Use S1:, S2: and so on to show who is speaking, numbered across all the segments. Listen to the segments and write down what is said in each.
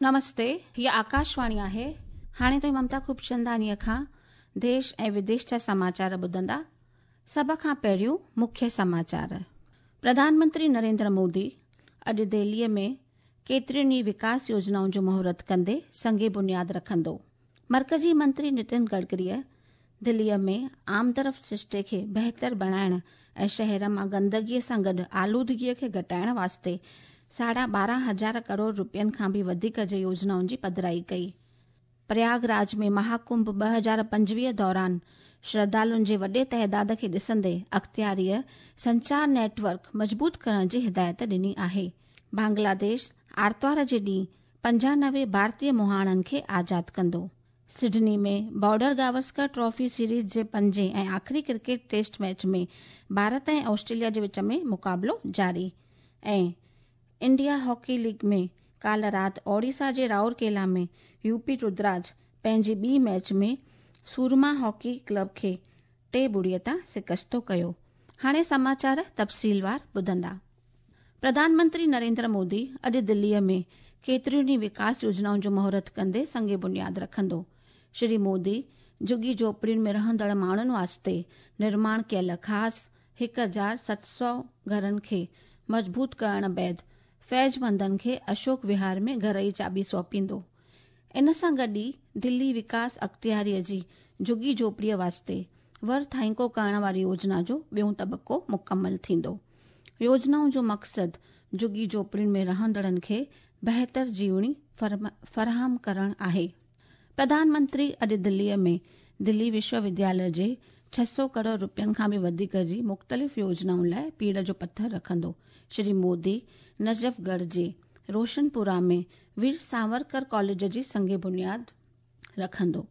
S1: نمستي، هيء آڪاشواڻي آهي. هاڻي توهين ممتا خوبچنداڻيء کان ديش ۽ وديش جا سماچار ٻڌندا. سڀ کان پهريون مکيه سماچار. پرڌان منتري نريندر مودي اڄ دهليء ۾ ڪيترين ئي وڪاس يوجنائن جو مهورت ڪندي سنگ بنياد رکندو. مرڪزي منتري نتن گڊڪريء دهليء ۾ آمدرفت سرشتي کي بهتر بڻائڻ ۽ شهر مان گندگيء سان گڏ آلودگيء کي گهٽائڻ واسطي ساڍا 12 هزار ڪروڙ رپين کان به وڌيڪ جي يوجنائن جي پڌرائي ڪئي. پرياگ راج ۾ مهاڪنڀ 2025 دوران شرڌالن جي وڏي تعداد کي ڏسندي اختياريء سنچار نيٽ ورڪ مضبوط ڪرڻ جي هدايت ڏني آهي. بنگلاديش آرتوار جي ڏينهن 95 ڀارتي مهاڻن کي آزاد ڪندو. سڊني ۾ بارڊر گاوسڪر ٽرافي سيريز جي پنجين ۽ آخري cricket test match ۾ Bharat ۽ Australia جي وچ ۾ مقابلو جاري ۽ انڊيا هاڪي ليگ ۾ ڪالهه رات اوڙيسا جي رائورڪيلا ۾ يو پي ردراج پنهنجي ٻي ميچ ۾ سورما هاڪي ڪلب کي 3-0 تان شڪستو ڪيو. هاڻي سماچار تفصيلوار ٻڌندا. پرڌان منتري نريندر مودي اڄ دليء ۾ ڪيتريون ئي وڪاس يوجنائن جو مهورت ڪندي سنگ بنياد رکندو. شري مودي جهڳي جهوپڙين ۾ رهندڙ ماڻهن واسطي نرماڻ ڪيل خاص 1700 گهرن کي مضبوط ڪرڻ بعد فيض مندن کي اشوڪ وهار ۾ گهر جي چاٻي سونپيندو. ان سان گڏ ئي دلي وڪاس اختياريء جي جهڳي جهوپڙيء واسطي ور ٿائينڪو ڪرڻ واري يوجنا جو ٻيون طبقو مڪمل ٿيندو. يوجنائن جو مقصد جهڳي جهوپڙين ۾ رهندڙن کي بهتر جيوڻي فراهم ڪرڻ آهي. پرڌان منتري اڄ دليء ۾ دلي وشو ودياليه جي 600 ڪروڙ رپين کان به وڌيڪ جي مختلف يوجنائن لاء پيڙهه جو پٿر رکندو. شري مودي نجف ڳڙهه جي روشنپورا ۾ وير ساورڪر ڪاليج جي سنگ بنياد رکندو.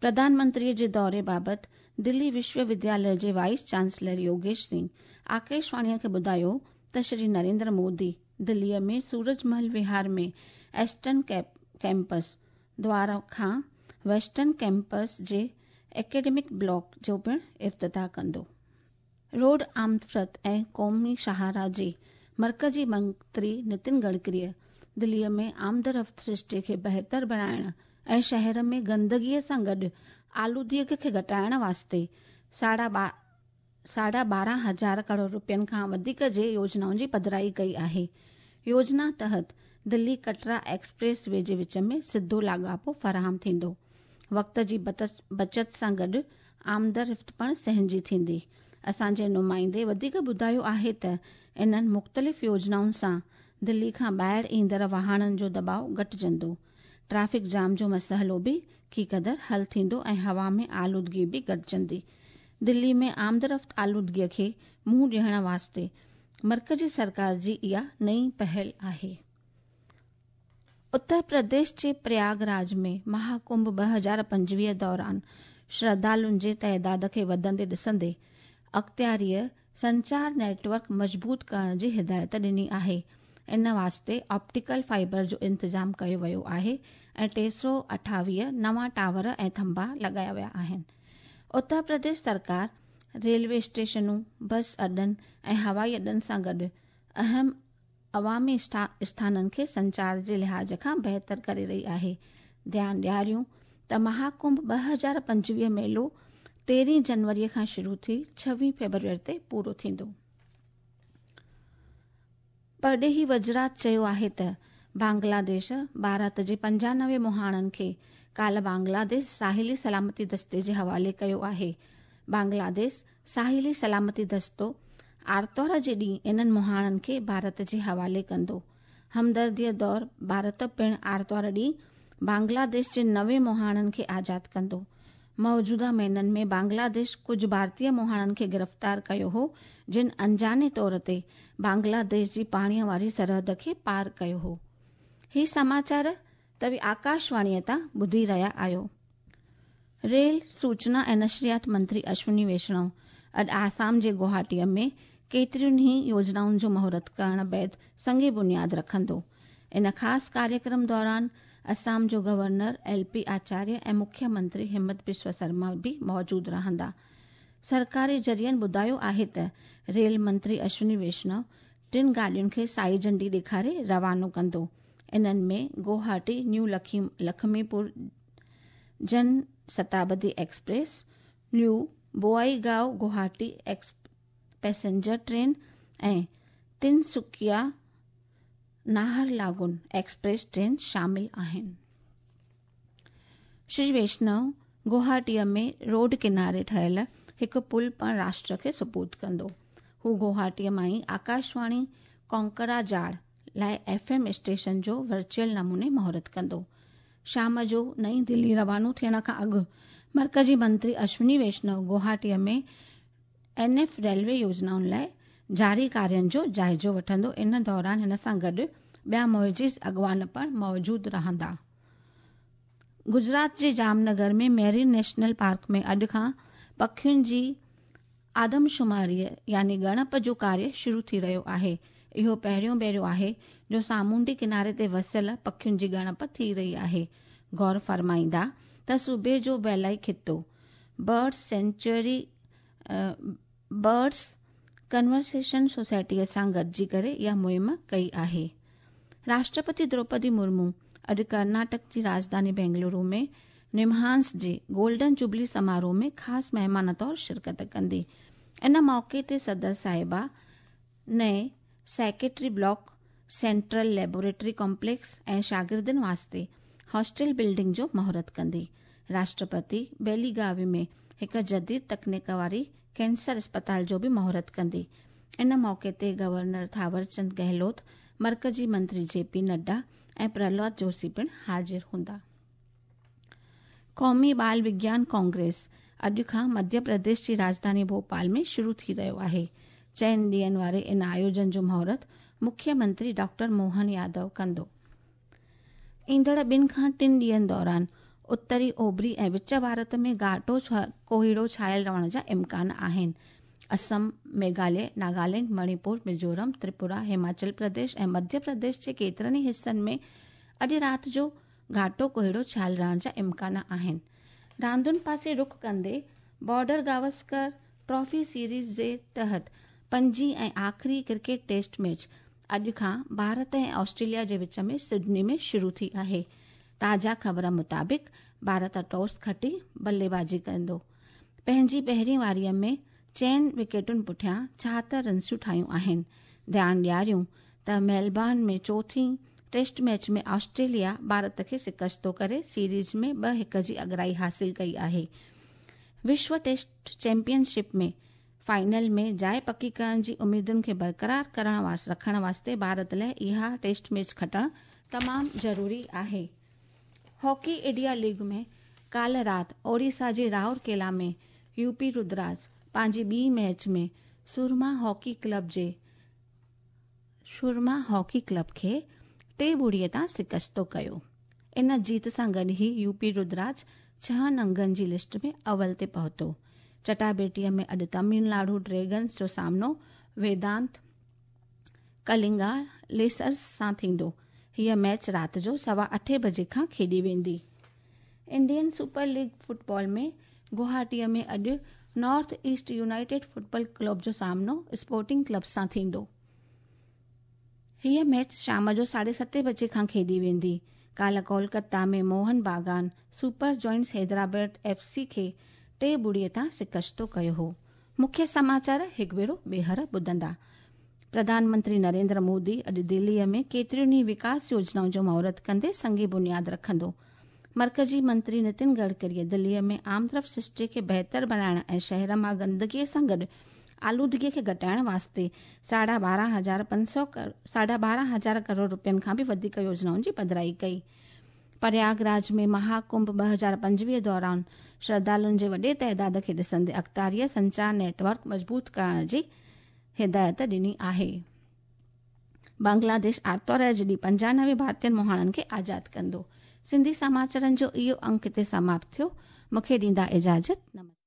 S1: پرڌان منتريء جي دوري بابت دلي وشو ودياليه جي وائيس چانسلر يوگيش سنگهه آڪاشواڻيء کي ٻڌايو ته شري نريندر مودي دليء ۾ سورج محل وهار ۾ ايسٽرن ڪيمپس دوار کان ويسٽرن ڪيمپس جي اڪيڊمڪ بلاڪ جو پڻ افتتاح ڪندو. روڊ آمدرفت ۽ قومي شاهراهه جي مرڪزي منتري نتن گڊڪريء دليء ۾ آمدرفت سرشتي کي بهتر بڻائڻ ۽ شهر ۾ گندگيء سان گڏ آلودگيء کي گهٽائڻ واسطي ساڍا 12 هزار ڪروڙ رپين کان وڌيڪ جي يوجنائن جي پڌرائي ڪئي آهي. يوجنا تحت دلي ڪٽرا ايڪسپريس وي جي وچ ۾ سڌو لاڳاپو فراهم ٿيندو. وقت جي بچت سان گڏ آمدرفت پڻ سهنجي ٿيندي. اسان جي نمائندي وڌيڪ ٻڌايو آهي ته انهن مختلف يوجنائن سان دلي کان ٻاهر ايندڙ واهڻن جو دٻاء گهٽجندو، ٽريفڪ جام جو مسئلو به ڪي قدر حل ٿيندو ۽ هوا ۾ آلودگي به گهٽجندي. دلي ۾ آمدرفت آلودگي کي منهن ڏيڻ واسطي مرڪزي سرڪار جي اها نئين پهل آهي. اتر پرديش جي پرياگ راج ۾ مهاڪنڀ 2025 دوران شرڌالن جي تعداد کي وڌندي ڏسندي اختياريء سنچار نيٽ ورڪ مضبوط ڪرڻ جي هدايت ڏني آهي. ان واسطي آپٽيڪل فائبر جو انتظام ڪيو ويو آهي ۽ 328 نوان ٽاور ۽ ٿنڀا لڳايا ويا آهن. اتر پرديش سرڪار ريلوي اسٽيشنون، بس اڏن ۽ هوائي اڏن سان گڏ اهم عوامي اسٿانن کي سنچار جي لحاظ کان بهتر ڪري رهي آهي. ڌيان ڏياريون ته مهاڪنڀ 2025 ميلو 13 جنوري کان شروع ٿي 26 فيبروري تي پورو ٿيندو. پرڏيهي وزارت چيو آهي ته بنگلاديش ڀارت جي 95 مهاڻن کي ڪالهه بنگلاديش ساحلي سلامتي دستي جي حوالي ڪيو آهي. بنگلاديش ساحلي سلامتي دستو آرتوار جي ڏينهن انهن مهاڻن کي ڀارت جي حوالي ڪندو. همدرديء دور ڀارت پڻ آرتوار ڏينهن بنگلاديش جي 90 مهاڻن کي آزاد ڪندو. موجوده مهينن ۾ بنگلاديش ڪجهه ڀارتي مهاڻن کي گرفتار ڪيو هو جن انجاني طور تي بنگلاديش جي پاڻيء واري سرحد کي پار ڪيو هو. هي سماچار توهين آڪاشواڻيء تان ٻڌي رهيا آهيو. ريل، سوچنا ۽ نشريات منتري اشوني ويشڻو اڄ آسام جي گوهاٽيء ۾ ڪيترين ئي يوجنائن جو مهورت ڪرڻ بعد سنگ بنياد رکندو. ان خاص ڪاريڪرم دوران آسام جو گورنر ايل پي آچاريه ۽ مکيه منتري همت بسوا سرما به موجود رهندا. سرڪاري ذريعن ٻڌايو آهي ته ريل منتري اشوني ويشنو ٽن گاڏين کي سائي جهنڊي ڏيکاري روانو ڪندو. انهن ۾ Guwahati new Lakhimpur Jan Shatabdi express, new Bongaigaon Guwahati passenger train ۽ Tinsukia Naharlagun express train شامل آهن. شري ويشنو گوهاٽيء ۾ روڊ ڪناري ٺهيل هڪ پل پڻ راشٽر کي سپرد ڪندو. هو گوهاٽيء مان ئي آڪاشواڻي ڪونڪراجاڙ لاء ايف ايم اسٽيشن جو ورچوئل نموني مهورت ڪندو. شام جو نئين دلي روانو ٿيڻ کان اڳ مرڪزي منتري Ashwini Vishnu گوهاٽيء ۾ N F railway يوجنائن لاء جاري ڪارين جو جائزو وٺندو. ان دوران هن سان گڏ ٻيا معزز اڳواڻ پڻ موجود رهندا. گجرات جي ڄام نگر ۾ ميرين نيشنل پارڪ ۾ اڄ کان پکين جي آدمشماريء يعني ڳڻپ جو ڪاريه شروع ٿي رهيو آهي. اهو پهريون ڀيرو آهي جو سامونڊي ڪناري تي وسيل پکين جي ڳڻپ ٿي رهي آهي. غور فرمائيندا ته صوبي جو ٻيلائي خطو برڊس سينچوئري برڊس ڪنورسيشن سوسائٽيء سان گڏجي ڪري اها مهم ڪئي آهي. راشٽرپتي دروپدي مرمو اڄ ڪرناٽڪ جي راڄڌاني بينگلورو ۾ نمهانس جي گولڊن جوبلي سماروهه ۾ خاص مهمان طور شرڪت ڪندي. ان موقعي تي صدر صاحبه نئين secretary block, central laboratory complex ۽ شاگردن واسطي هاسٽل بلڊنگ جو مهورت ڪندي. راشٽرپتي بيليگاوي ۾ هڪ جديد تڪنيڪ واري ڪينسر اسپتال جو به مهورت ڪندي. ان موقعي تي گورنر ٿاورچند گهلوت، مرڪزي منتري جي پي نڊا ۽ پرهلاد جوشي پڻ حاضر هوندا. قومي ٻال وگيان ڪانگريس اڄ کان مڌيه پرديش جي راڄڌاني ڀوپال ۾ شروع ٿي رهيو آهي. چئن ڏينهن واري ان آيوجن جو مهورت مکيه منتري ڊاڪٽر موهن يادو ڪندو. ايندڙ ٻن کان ٽن ڏينهن دوران اتري، اوڀري ۽ وچ ڀارت ۾ گهاٽو ڪوهيڙو ڇانيل رهڻ جا امڪان آهن. اسم، ميگهاليه، ناگالينڊ، مڻيپور، ميزورم، تريپورا، هماچل پرديش ۽ مڌيه پرديش جي ڪيترن ئي حصن ۾ اڄ رات جو گهاٽو ڪوهيڙو ڇانيل رهڻ جا امڪان آهن. راندن پاسي رخ ڪندي بارڊر گاوسڪر ٽرافي سيريز جي تحت پنجين ۽ آخري ڪرڪيٽ ٽيسٽ ميچ اڄ کان ڀارت ۽ آسٽريليا جي وچ ۾ سڊني ۾ شروع ٿي آهي. تازا خبر مطابق ڀارت ٽاس کٽي بلي بازي ڪندو. پنهنجي پهرين واريء ۾ چئن وڪيٽن پٺيان 76 رنسون ٺاهيون آهن. ڌيان ڏياريون ته ميلبورن ۾ چوٿين ٽيسٽ ميچ ۾ آسٽريليا ڀارت کي شڪستو ڪري سيريز ۾ 2-1 جي اڳرائي حاصل ڪئي آهي. وشو ٽيسٽ چيمپيئن شپ ۾ فائنل ۾ جاء پڪي ڪرڻ جي اميدن کي برقرار ڪرڻ رکڻ واسطي ڀارت لاء اها ٽيسٽ ميچ کٽڻ تمام ضروري آهي. هاڪي انڊيا ليگ ۾ ڪالهه رات اوڙيسا جي راورڪيلا ۾ يو پي ردراج پنهنجي ٻي ميچ ۾ سورما هاڪي ڪلب جي سورما هاڪي ڪلب کي 3-0 تان شڪستو ڪيو. ان جيت سان گڏ ئي يو پي ردراج ڇهن انگن جي لسٽ ۾ اول تي پهتو. چٽاڀيٽيء ۾ اڄ تامل ناڊو ڊريگنز جو سامنو ويدانت ڪلنگا ليسرز سان ٿيندو. هيء ميچ رات جو 8:15 بجي کان کيڏي ويندي. انڊين سپر ليگ فٽبال ۾ گوهاٽيء ۾ اڄ north east united football club جو سامنو اسپورٽنگ ڪلب سان ٿيندو. هيء ميچ شام جو 7:30 بجي کان کيڏي ويندي. ڪالهه Kolkata ۾ Mohun Bagan super giants Hyderabad F C کي 3-0 تان شڪستو ڪيو هو. مکيه سماچار هڪ ڀيرو ٻيهر ٻڌندا. پرڌان منتري نريندر مودي اڄ دليء ۾ ڪيتريون ئي وڪاس يوجنائن جو مهورت ڪندي سنگ بنياد رکندو. مرڪزي منتري نتن گڊڪريء دليء ۾ آمدرفت سرشتي کي بهتر بڻائڻ ۽ شهر مان گندگيء سان گڏ آلودگيء کي گهٽائڻ واسطي 12500 12500 ڪروڙ رپين کان به وڌيڪ يوجنائن جي پڌرائي ڪئي. پرياگ راج ۾ مها ڪنڀ 2025 دوران شرڌالن جي وڏي تعداد کي ڏسندي اختياريء سنچار نيٽ ورڪ مضبوط ڪرڻ جي هدايت ڏني آهي. بنگلاديش آرتوار جي ڏينهن 95 ڀارتين مهاڻن کي آزاد ڪندو. سنڌي سماچارن جو اهو انڪ هتي سماپت ٿيو. مون کي ڏيندا اجازت. نمسڪار.